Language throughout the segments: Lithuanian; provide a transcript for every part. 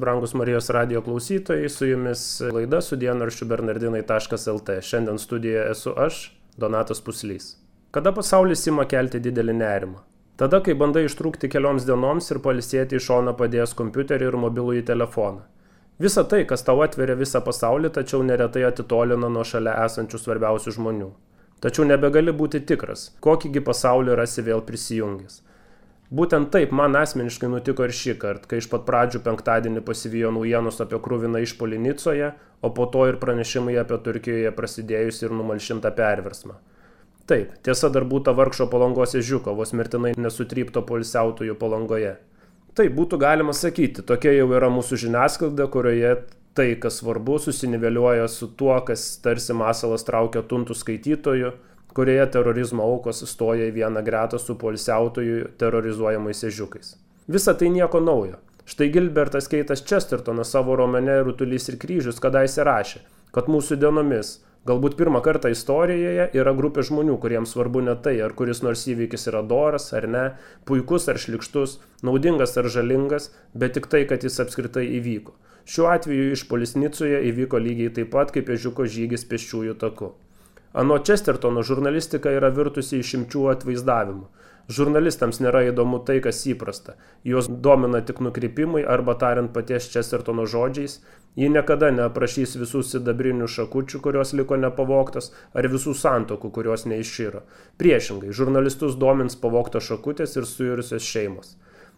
Brangus Marijos radijo klausytojai, su jumis laida su dienraščiu bernardinai.lt. Šiandien studijoje esu aš, Donatas Puslys. Kada pasaulis ima kelti didelį nerimą? Tada, kai bandai ištrūkti kelioms dienoms ir pailsėti į šoną padėjęs kompiuterį ir mobilųjį telefoną. Visa tai, kas tau atveria visą pasaulį, tačiau neretai atitolina nuo šalia esančių svarbiausių žmonių. Tačiau nebegali būti tikras, kokįgi pasaulį rasi vėl prisijungęs. Būtent taip man asmeniškai nutiko ir šį kartą, kai iš pat pradžių penktadienį pasivijo naujienos apie kruviną išpuolį Nicoje, o po to ir pranešimai apie Turkijoje prasidėjusį ir numalšintą perversmą. Taip, tiesa dar būta vargšo Palangos ežiuko, vos mirtinai nesutrypto poilsiautojų Palangoje. Taip, būtų galima sakyti, tokia jau yra mūsų žiniasklaida, kurioje tai, kas svarbu, susiniveliuoja su tuo, kas tarsi masalas traukia tuntų skaitytojų, kurioje terorizmo aukos stoja į vieną gretą su poilsiautojų terrorizuojamais ežiukais. Visa tai nieko naujo. Štai Gilbertas Keitas Chestertonas savo romane Rutulys ir kryžius kadaise rašė, kad mūsų dienomis, galbūt pirmą kartą istorijoje, yra grupė žmonių, kuriems svarbu ne tai, ar kuris nors įvykis yra doras ar ne, puikus ar šlykštus, naudingas ar žalingas, bet tik tai, kad jis apskritai įvyko. Šiuo atveju išpuolis Nicoje įvyko lygiai taip pat, kaip ežiuko žygis pėsčiųjų taku. Anot Chestertono žurnalistika yra virtusi išimčių atvaizdavimu. Žurnalistams nėra įdomu tai, kas įprasta. Juos domina tik nukrypimai arba tariant paties Chestertono žodžiais, ji niekada neaprašys visų sidabrinių šakučių, kurios liko nepavogtos, ar visų santokų, kurios neiširo. Priešingai, žurnalistus domins pavogtos šakutės ir suirusios šeimos.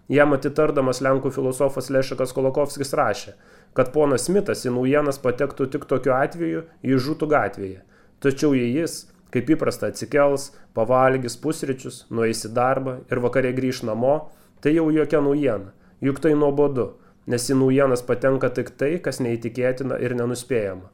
Jam atitardamas lenkų filosofas Lešekas Kolokovskis rašė, kad ponas Smitas į naujienas patektų tik tokiu atveju, jei žūtų gatvėje. Tačiau jei jis, kaip įprasta, atsikels, pavalgys pusryčius, nueis į darbą ir vakarė grįš namo, tai jau jokia naujiena, juk tai nuobodu, nes į naujienas patenka tik tai, kas neįtikėtina ir nenuspėjama.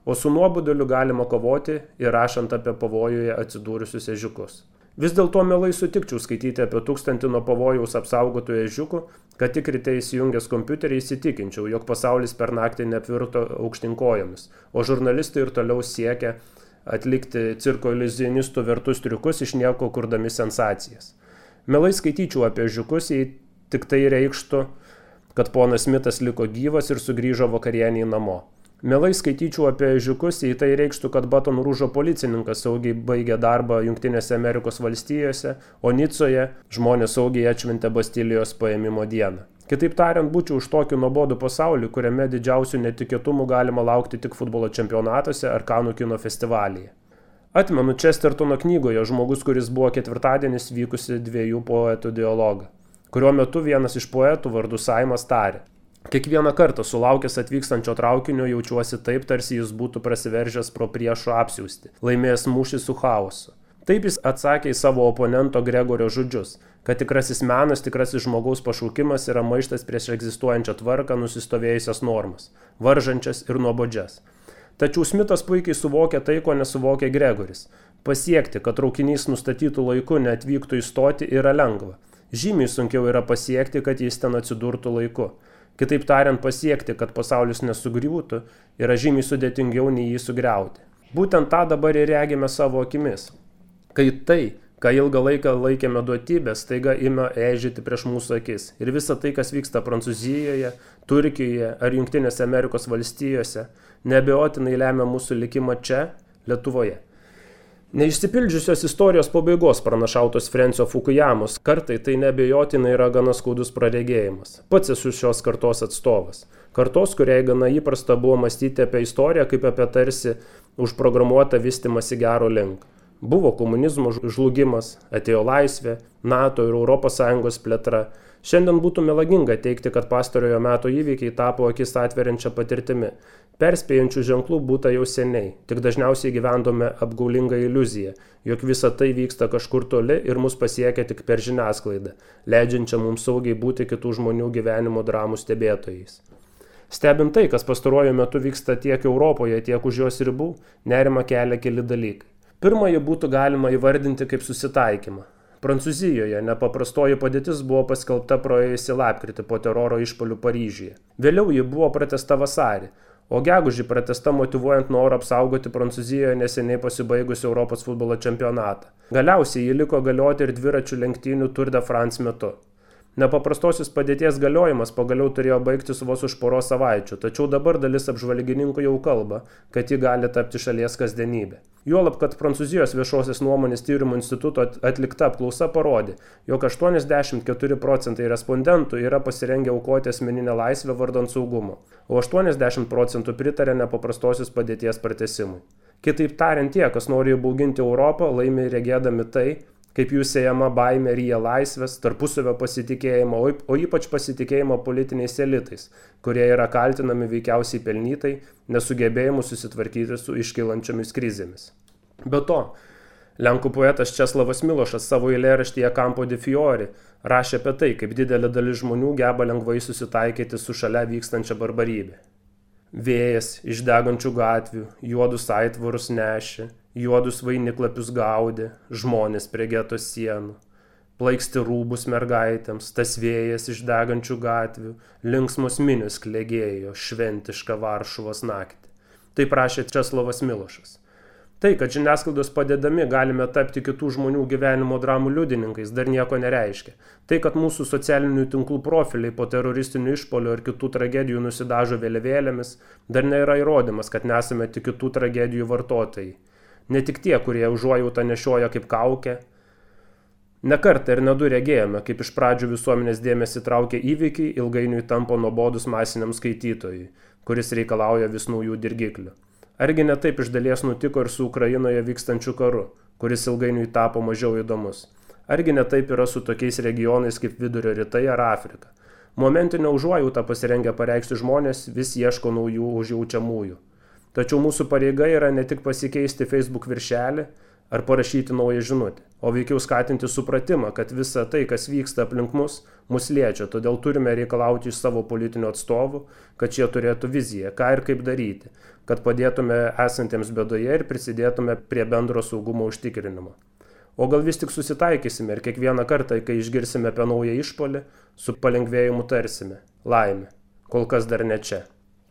O su nuoboduliu galima kovoti ir rašant apie pavojuje atsidūrusius ežiukus. Vis dėlto mielai sutikčiau skaityti apie 1000 nuo pavojaus apsaugotų ežiukų, kad tik ryte įsijungęs kompiuterį įsitikinčiau, jog pasaulis per naktį neapvirto aukštinkojomis, o žurnalistai ir toliau siekia atlikti cirko iliuzionistų vertus triukus iš nieko kurdami sensacijas. Mielai skaityčiau apie ežiukus, jei tik tai reikštų, kad ponas Smitas liko gyvas ir sugrįžo vakarienį namo. Mielai skaityčiau apie ežiukus, jei tai reikštų, kad Baton Rouge'o policininkas saugiai baigė darbą Jungtinėse Amerikos valstijose, o Nicoje žmonės saugiai atšventė Bastilijos paėmimo dieną. Kitaip tariant, būčiau už tokį nuobodų pasaulį, kuriame didžiausių netikėtumų galima laukti tik futbolo čempionatuose ar Kanų kino festivalyje. Atmenu Chestertono knygoje žmogus, kuris buvo ketvirtadienis vykusi dviejų poetų dialogą, kurio metu vienas iš poetų vardu Saimas tarė: kiekvieną kartą sulaukęs atvykstančio traukinio jaučiuosi taip, tarsi jis būtų prasiveržęs pro priešo apsiausti, laimėjęs mūšį su chaosu. Taip jis atsakė į savo oponento Gregorio žodžius, kad tikrasis menas, tikrasis žmogaus pašaukimas yra maištas prieš egzistuojančią tvarką, nusistovėjusias normas, varžančias ir nuobodžias. Tačiau Smitas puikiai suvokia tai, ko nesuvokia Gregoris. Pasiekti, kad traukinys nustatytų laiku neatvyktų į stotį, yra lengva. Žymiai sunkiau yra pasiekti, kad jis ten atsidurtų laiku. Kitaip tariant, pasiekti, kad pasaulis nesugriūtų, yra žymiai sudėtingiau nei jį sugriauti. Būtent tą dabar ir regime savo akimis. Kai tai, ką ilgą laiką laikėme duotybę, staiga ima eižėti prieš mūsų akis. Ir visa tai, kas vyksta Prancūzijoje, Turkijoje ar Jungtinėse Amerikos valstijose, neabejotinai lemia mūsų likimą čia, Lietuvoje. Neišsipildžiusios istorijos pabaigos pranašautos Frensio Fukuyamos kartai tai neabejotinai yra gana skaudus praregėjimas. Pats esu šios kartos atstovas. Kartos, kuriai gana įprasta buvo mąstyti apie istoriją kaip apie tarsi užprogramuotą vystymąsi gero link. Buvo komunizmo žlugimas, atėjo laisvė, NATO ir ES plėtra. Šiandien būtų melaginga teigti, kad pastarojo meto įvykiai tapo akis atveriančią patirtimi. Perspėjančių ženklų būta jau seniai, tik dažniausiai gyvendome apgaulingą iliuziją, jog visa tai vyksta kažkur toli ir mus pasiekia tik per žiniasklaidą, leidžiančią mums saugiai būti kitų žmonių gyvenimo dramų stebėtojais. Stebint tai, kas pastaruoju metu vyksta tiek Europoje, tiek už jos ribų, nerimą kelia keli dalykai. Pirmąjį būtų galima įvardinti kaip susitaikymą. Prancūzijoje nepaprastoji padėtis buvo paskelbta praėjusį lapkritį po teroro išpuolių Paryžiuje. Vėliau ji buvo pratęsta vasarį, o gegužį pratęsta motyvuojant norą apsaugoti Prancūzijoje neseniai pasibaigusi Europos futbolo čempionatą. Galiausiai ji liko galioti ir dviračių lenktynių Tour de France metu. Nepaprastosios padėties galiojimas pagaliau turėjo baigtis vos už poros savaičių, tačiau dabar dalis apžvalgininkų jau kalba, kad ji gali tapti šalies kasdienybė. Juolab, kad Prancūzijos viešosios nuomonės tyrimų instituto atlikta apklausa parodė, jog 84% respondentų yra pasirengę aukoti asmeninę laisvę vardan saugumo, o 80% pritarė nepaprastosios padėties pratęsimui. Kitaip tariant, tie, kas nori įbauginti Europą, laimi regėdami tai, kaip jų siejama baimė ryja laisvės, tarpusavio pasitikėjimo, o ypač pasitikėjimo politiniais elitais, kurie yra kaltinami veikiausiai pelnytai, nesugebėjimu susitvarkyti su iškylančiomis krizėmis. Be to, lenkų poetas Česlavas Milošas savo eilėraštyje Campo di Fiori rašė apie tai, kaip didelė dalis žmonių geba lengvai susitaikyti su šalia vykstančia barbarybė. Vėjas iš degančių gatvių, juodus aitvarus nešė, juodus vainiklapius gaudė, žmonės prie geto sienų. Plaiksti rūbus mergaitėms, tas vėjas iš degančių gatvių, linksmos minios klegėjo šventišką Varšuvos naktį. Taip rašė Česlavas Milošas. Tai, kad žiniasklaidos padedami galime tapti kitų žmonių gyvenimo dramų liudininkais, dar nieko nereiškia. Tai, kad mūsų socialinių tinklų profiliai po teroristinių išpolių ir kitų tragedijų nusidažo vėliavėlėmis, dar nėra įrodymas, kad nesame tik kitų tragedijų vartotojai. Ne tik tie, kurie užuojautą nešioja kaip kaukę. Ne kartą ir ne du regėjome, kaip iš pradžių visuomenės dėmesį traukia įvykiai, ilgainiui tampa nuobodus masiniam skaitytojui, kuris reikalauja vis naujų dirgiklių. Argi ne taip iš dalies nutiko ir su Ukrainoje vykstančiu karu, kuris ilgainiui tapo mažiau įdomus? Argi ne taip yra su tokiais regionais kaip Vidurio rytai ar Afrika? Momentinę užuojautą pasirengę pareikšti žmonės vis ieško naujų užjaučiamųjų. Tačiau mūsų pareiga yra ne tik pasikeisti Facebook viršelį ar parašyti naują žinutę, o veikiau skatinti supratimą, kad visa tai, kas vyksta aplink mus liečia, todėl turime reikalauti iš savo politinių atstovų, kad šie turėtų viziją, ką ir kaip daryti, kad padėtume esantiems bėdoje ir prisidėtume prie bendro saugumo užtikrinimo. O gal vis tik susitaikysime ir kiekvieną kartą, kai išgirsime apie naują išpuolį, su palengvėjimu tarsime – laimė, kol kas dar ne čia.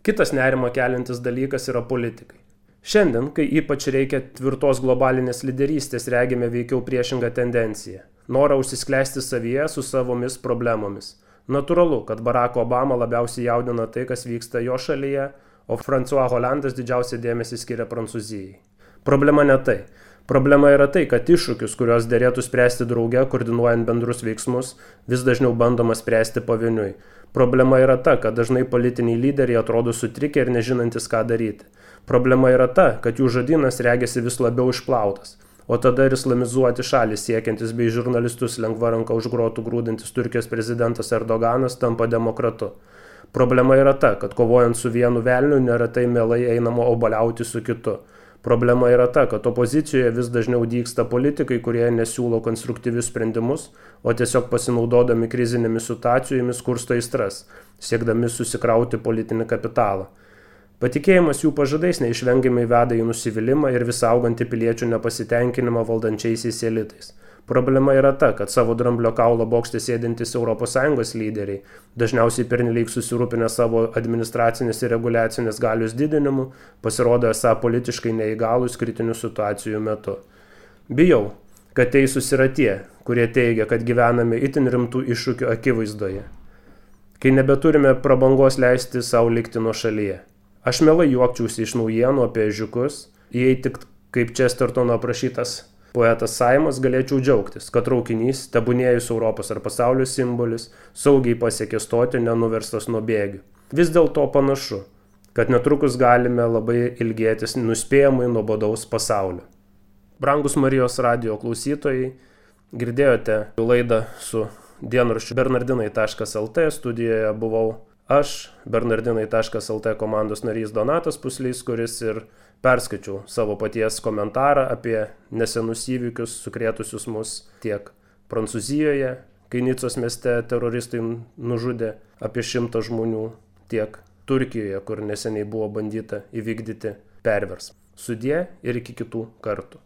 Kitas nerimą keliantis dalykas yra politikai. Šiandien, kai ypač reikia tvirtos globalinės lyderystės, regime veikiau priešingą tendenciją – norą užsisklęsti savyje su savomis problemomis. Natūralu, kad Barack Obama labiausiai jaudina tai, kas vyksta jo šalyje, o François Hollandas didžiausią dėmesį skiria Prancūzijai. Problema ne tai. Problema yra tai, kad iššūkius, kuriuos derėtų spręsti drauge, koordinuojant bendrus veiksmus, vis dažniau bandoma spręsti pavieniui. Problema yra ta, kad dažnai politiniai lyderiai atrodo sutrikę ir nežinantis, ką daryti. Problema yra ta, kad jų žodynas regėsi vis labiau išplautas, o tada ir islamizuoti šalys siekiantis bei žurnalistus lengva ranka už grotų grūdantis Turkijos prezidentas Erdoganas tampa demokratu. Problema yra ta, kad kovojant su vienu velniu neretai mielai einama obaliauti su kitu. Problema yra ta, kad opozicijoje vis dažniau dygsta politikai, kurie nesiūlo konstruktyvius sprendimus, o tiesiog pasinaudodami krizinėmis situacijomis kursto aistras, siekdami susikrauti politinį kapitalą. Patikėjimas jų pažadais neišvengiamai veda į nusivylimą ir vis augantį piliečių nepasitenkinimą valdančiaisiais elitais. Problema yra ta, kad savo dramblio kaulo bokšte sėdintys ES lyderiai, dažniausiai pernelyg susirūpinę savo administracinės ir reguliacinės galios didinimu, pasirodo esą politiškai neįgalūs kritinių situacijų metu. Bijau, kad teisūs yra tie, kurie teigia, kad gyvename itin rimtų iššūkių akivaizdoje, kai nebeturime prabangos leisti savo likti nuo šalyje. Aš mielai juokčiausi iš naujienų apie ežiukus, jei tik kaip Chestertono aprašytas poetas Saimas galėčiau džiaugtis, kad traukinys, tebūnėjus Europos ar pasaulio simbolis, saugiai pasiekė stoti nenuverstas nuo bėgių. Vis dėlto panašu, kad netrukus galime labai ilgėtis nuspėjamai nuobodaus pasaulio. Brangus Marijos radijo klausytojai, girdėjote laidą su dienraščiu bernardinai.lt, studijoje buvau aš, bernardinai.lt komandos narys Donatas Puslys, kuris ir perskaičiau savo paties komentarą apie nesenus įvykius sukrėtusius mus tiek Prancūzijoje, kai Nicos mieste teroristai nužudė apie 100 žmonių, tiek Turkijoje, kur neseniai buvo bandyta įvykdyti perversmą. Sudie ir iki kitų kartų.